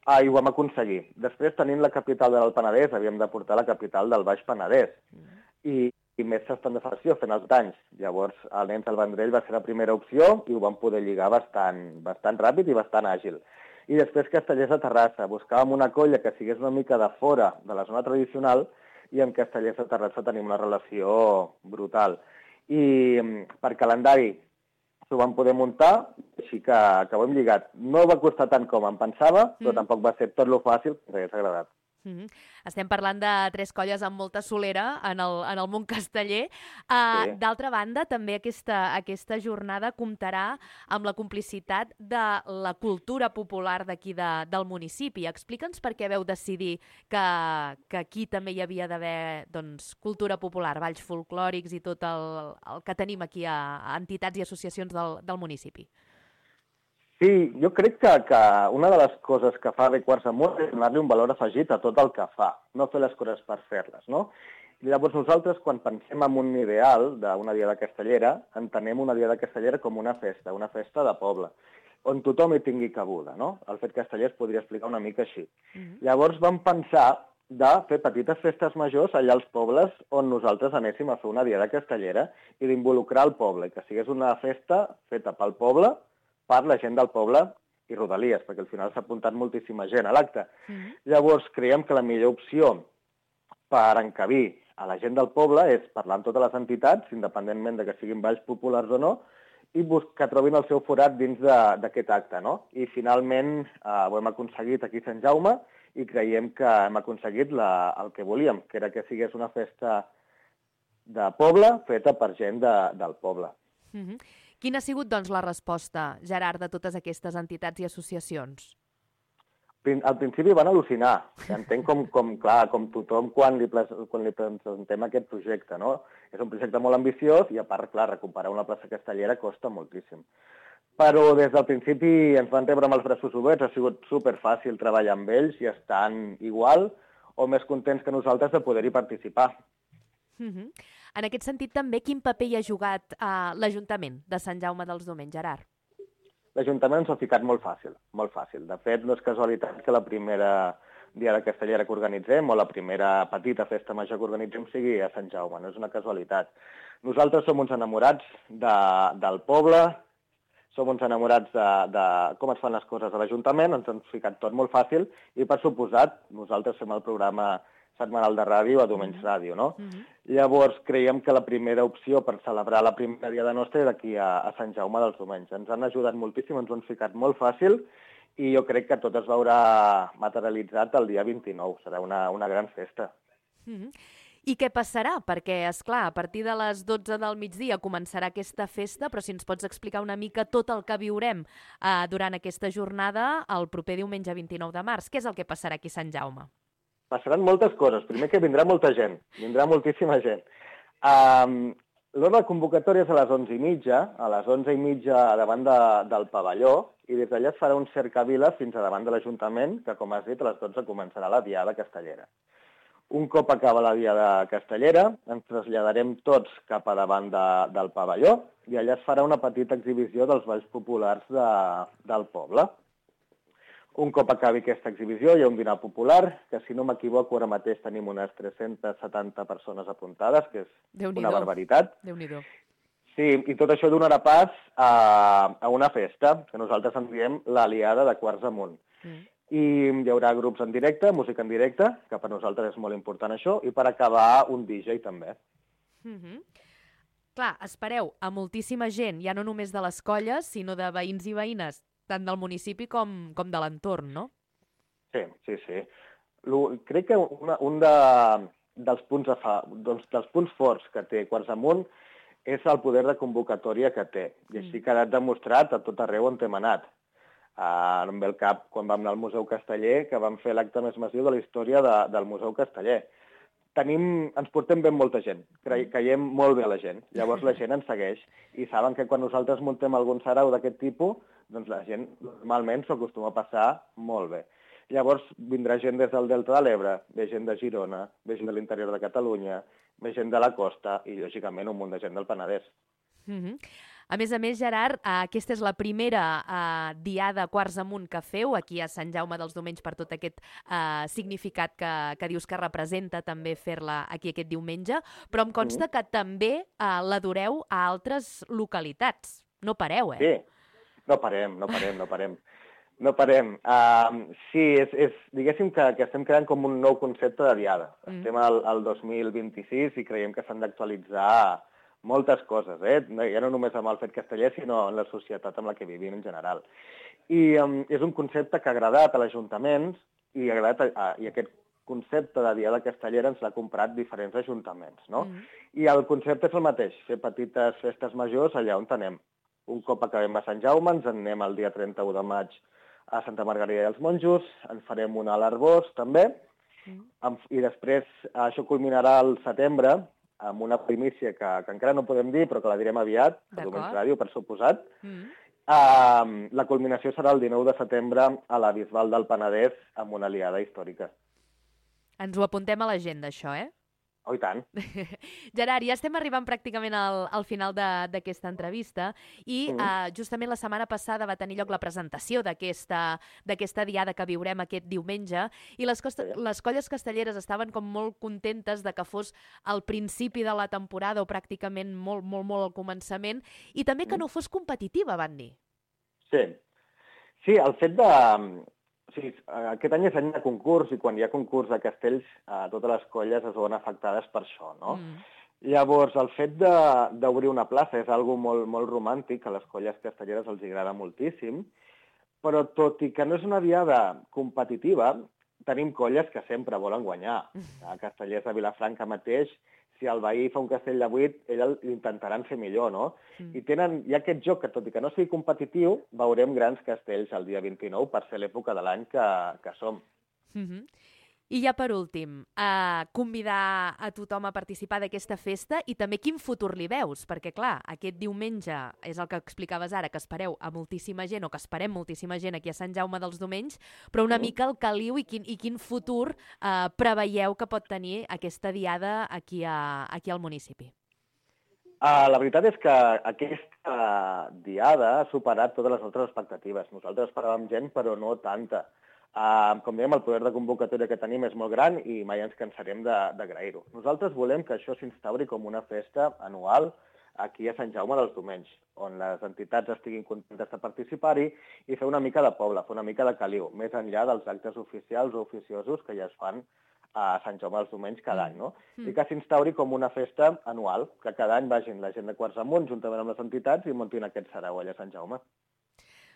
Ah, i ho vam aconseguir. Després, tenint la capital de l'Alt Penedès, havíem de portar la capital del Baix Penedès. Mm. I, i més s'estan de federació fent els danys. Llavors, el Nens del Vendrell va ser la primera opció i ho vam poder lligar bastant, bastant ràpid i bastant àgil. I després Castellers de Terrassa. Buscàvem una colla que sigués una mica de fora de la zona tradicional i amb Castellers de Terrassa tenim una relació brutal. I per calendari ho vam poder muntar, així que, que ho hem lligat. No va costar tant com em pensava, però mm. tampoc va ser tot lo fàcil que ens hagués agradat. Mm-hmm. Estem parlant de tres colles amb molta solera en el, en el món casteller. Uh, sí. D'altra banda, també aquesta, aquesta jornada comptarà amb la complicitat de la cultura popular d'aquí de, del municipi. Explica'ns per què veu decidir que, que aquí també hi havia d'haver doncs, cultura popular, balls folclòrics i tot el, el que tenim aquí a, a entitats i associacions del, del municipi. Sí, jo crec que, que una de les coses que fa bé Quarts Amunt és donar-li un valor afegit a tot el que fa, no fer les coses per fer-les, no? I llavors nosaltres, quan pensem en un ideal d'una diada castellera, entenem una diada castellera com una festa, una festa de poble, on tothom hi tingui cabuda, no? El fet casteller es podria explicar una mica així. Mm-hmm. Llavors vam pensar de fer petites festes majors allà als pobles on nosaltres anéssim a fer una diada castellera i d'involucrar el poble, que sigués una festa feta pel poble, per la gent del poble i rodalies, perquè al final s'ha apuntat moltíssima gent a l'acte. Mm-hmm. Llavors, creiem que la millor opció per encabir a la gent del poble és parlar amb totes les entitats, independentment de que siguin balls populars o no, i que trobin el seu forat dins d'aquest acte, no? I finalment eh, ho hem aconseguit aquí a Sant Jaume i creiem que hem aconseguit la, el que volíem, que era que sigués una festa de poble feta per gent de, del poble. Mm-hmm. Quina ha sigut, doncs, la resposta, Gerard, de totes aquestes entitats i associacions? Al principi van al·lucinar. Entenc com, com, clar, com tothom quan li, quan li presentem aquest projecte, no? És un projecte molt ambiciós i, a part, clar, recuperar una plaça castellera costa moltíssim. Però des del principi ens van rebre amb els braços oberts, ha sigut superfàcil treballar amb ells i estan igual o més contents que nosaltres de poder-hi participar. Mm-hmm. En aquest sentit, també, quin paper hi ha jugat uh, l'Ajuntament de Sant Jaume dels Domenys, Gerard? L'Ajuntament ens ha ficat molt fàcil, molt fàcil. De fet, no és casualitat que la primera diada castellera que organitzem o la primera petita festa major que organitzem sigui a Sant Jaume, no és una casualitat. Nosaltres som uns enamorats de, del poble, som uns enamorats de, de com es fan les coses a l'Ajuntament, ens han ficat tot molt fàcil i, per suposat, nosaltres fem el programa setmanal de ràdio a Domenys Ràdio, no? Mm-hmm. Llavors, creiem que la primera opció per celebrar la primera diada nostra era aquí a, a Sant Jaume dels Domenys. Ens han ajudat moltíssim, ens ho han ficat molt fàcil i jo crec que tot es veurà materialitzat el dia vint-i-nou. Serà una, una gran festa. Mm-hmm. I què passarà? Perquè, és clar, a partir de les dotze del migdia començarà aquesta festa, però si ens pots explicar una mica tot el que viurem eh, durant aquesta jornada el proper diumenge vint-i-nou de març. Què és el que passarà aquí a Sant Jaume? Passaran moltes coses. Primer que vindrà molta gent, vindrà moltíssima gent. Um, L'hora de convocatòria és a les onze i mitja, a les onze i mitja davant de, del pavelló, i des d'allà es farà un cercavila fins a davant de l'Ajuntament, que, com has dit, a les dotze començarà la Diada Castellera. Un cop acaba la Diada Castellera, ens traslladarem tots cap a davant de, del pavelló i allà es farà una petita exhibició dels balls populars de, del poble. Un cop acabi aquesta exhibició hi ha un dinar popular, que si no m'equivoco ara mateix tenim unes tres-centes setanta persones apuntades, que és una barbaritat. Déu-n'hi-do. Sí, i tot això donarà pas a, a una festa, que nosaltres en diem l'Aliada de Quarts Amunt. Mm. I hi haurà grups en directe, música en directe, que per nosaltres és molt important això, i per acabar un D J també. Mm-hmm. Clar, espereu a moltíssima gent, ja no només de les colles, sinó de veïns i veïnes, tant del municipi com, com de l'entorn, no? Sí, sí, sí. Lo, crec que una, un de, dels, punts a fa, doncs, dels punts forts que té Quarts Amunt és el poder de convocatòria que té, i així ha quedat demostrat a tot arreu on hem anat. Uh, no em ve el cap quan vam anar al Museu Casteller, que vam fer l'acte més massiu de la història de, del Museu Casteller. Tenim, ens portem ben molta gent, caiem molt bé a la gent, llavors la gent ens segueix i saben que quan nosaltres muntem algun sarau d'aquest tipus, doncs la gent normalment s'ho acostuma a passar molt bé. Llavors vindrà gent des del Delta de l'Ebre, ve gent de Girona, ve gent de l'interior de Catalunya, ve gent de la costa i, lògicament, un munt de gent del Penedès. Mm-hmm. A més a més, Gerard, aquesta és la primera eh, diada Quarts Amunt que feu aquí a Sant Jaume dels Domenys per tot aquest eh, significat que, que dius que representa també fer-la aquí aquest diumenge, però em consta que també eh, l'adoreu a altres localitats. No pareu, eh? Sí, no parem, no parem, no parem. No parem. Uh, sí, és, és, diguéssim que, que estem creant com un nou concepte de diada. Mm. Estem al, al dos mil vint-i-sis i creiem que s'han d'actualitzar moltes coses, eh? Ja no només amb el fet casteller, sinó en la societat amb la que vivim en general. I um, és un concepte que ha agradat a l'Ajuntament i, ha agradat a, a, i aquest concepte de Diada Castellera ens l'ha comprat diferents ajuntaments, no? Mm. I el concepte és el mateix, fer petites festes majors allà on anem. Un cop acabem a Sant Jaume, ens en anem el dia trenta-u de maig a Santa Margarida dels Monjos, en farem una a l'Arbós també, mm. i després això culminarà al setembre, amb una primícia que, que encara no podem dir, però que la direm aviat, a Domens Ràdio, per suposat. Mm. Uh, la culminació serà el dinou de setembre a la Bisbal del Penedès amb una aliada històrica. Ens ho apuntem a l'agenda, això, eh? Oh, i tant. Gerard, ja estem arribant pràcticament al, al final d'aquesta entrevista i mm. uh, justament la setmana passada va tenir lloc la presentació d'aquesta diada que viurem aquest diumenge i les, costa, sí. les colles castelleres estaven com molt contentes de que fos al principi de la temporada o pràcticament molt, molt, molt al començament i també que mm. no fos competitiva, van dir. Sí, sí, el fet de... Sí, aquest any és any de concurs i quan hi ha concurs de castells eh, totes les colles es veuen afectades per això, no? Mm. Llavors, el fet d'obrir una plaça és algo molt, molt romàntic, a les colles castelleres els agrada moltíssim, però tot i que no és una diada competitiva, tenim colles que sempre volen guanyar. A Castellers de Vilafranca mateix, si el veí fa un castell de vuit, ell l'intentaran fer millor, no? Mm. I tenen, hi ha aquest joc que, tot i que no sigui competitiu, veurem grans castells el dia vint-i-nou per ser l'època de l'any que, que som. Mm-hmm. I ja per últim, eh, convidar a tothom a participar d'aquesta festa i també quin futur li veus, perquè clar, aquest diumenge és el que explicaves ara, que espereu a moltíssima gent o que esperem moltíssima gent aquí a Sant Jaume dels Domenys, però una mm. mica el caliu i quin, i quin futur eh, preveieu que pot tenir aquesta diada aquí, a, aquí al municipi. Uh, la veritat és que aquesta diada ha superat totes les nostres expectatives. Nosaltres esperàvem gent, però no tanta. Uh, com dèiem, el poder de convocatòria que tenim és molt gran i mai ens cansarem d'agrair-ho. Nosaltres volem que això s'instauri com una festa anual aquí a Sant Jaume dels Domenys, on les entitats estiguin contentes de participar-hi i fer una mica de poble, fer una mica de caliu, més enllà dels actes oficials o oficiosos que ja es fan a Sant Jaume dels Domenys cada any, no? Mm. I que s'instauri com una festa anual, que cada any vagin la gent de Quarts Amunt juntament amb les entitats i muntin aquest sarau allà a Sant Jaume.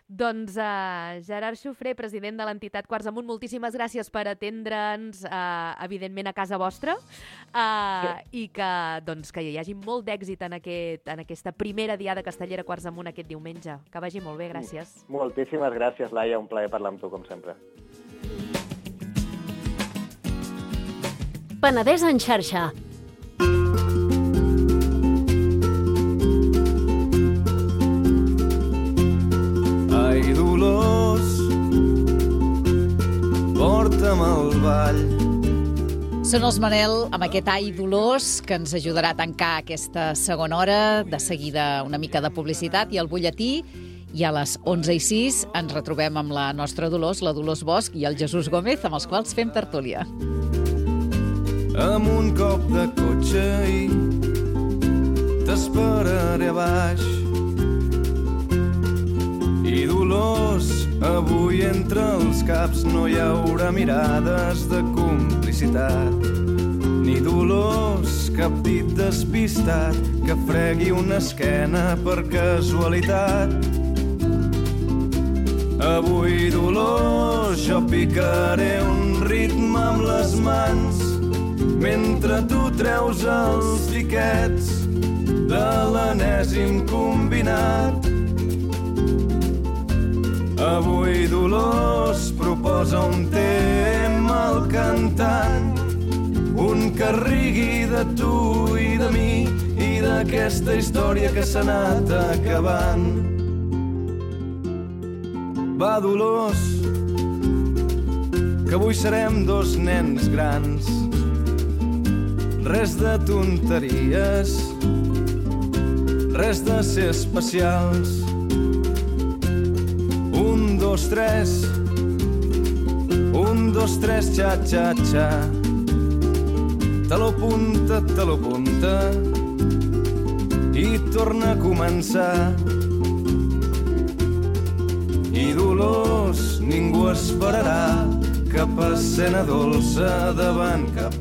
Doncs uh, Gerard Xofré, president de l'entitat Quarts Amunt, moltíssimes gràcies per atendre'ns, uh, evidentment, a casa vostra, uh, i que, doncs, que hi hagi molt d'èxit en, aquest, en aquesta primera diada castellera Quarts Amunt aquest diumenge. Que vagi molt bé, gràcies. Moltíssimes gràcies, Laia, un plaer parlar amb tu, com sempre. Penedès en xarxa. Ai, Dolors, porta'm al ball. Són els Manel amb aquest Ai Dolors que ens ajudarà a tancar aquesta segona hora. De seguida una mica de publicitat i el butlletí. I a les onze i sis ens retrobem amb la nostra Dolors, la Dolors Bosch i el Jesús Gómez, amb els quals fem tertúlia. Amb un cop de cotxe i t'esperaré a baix. I Dolors, avui entre els caps no hi haurà mirades de complicitat. Ni Dolors, cap dit despistat que fregui una esquena per casualitat. Avui, Dolors, jo picaré un ritme amb les mans mentre tu treus els tiquets de l'enèsim combinat. Avui, Dolors, proposa un tema al cantant, un que rigui de tu i de mi i d'aquesta història que s'ha anat acabant. Va, Dolors, que avui serem dos nens grans. Res de tonteries, res de ser especials. Un, dos, tres, un, dos, tres, xa, xa, xa. Te lo punta, te lo punta i torna a començar. I Dolors, ningú esperarà cap escena dolça davant cap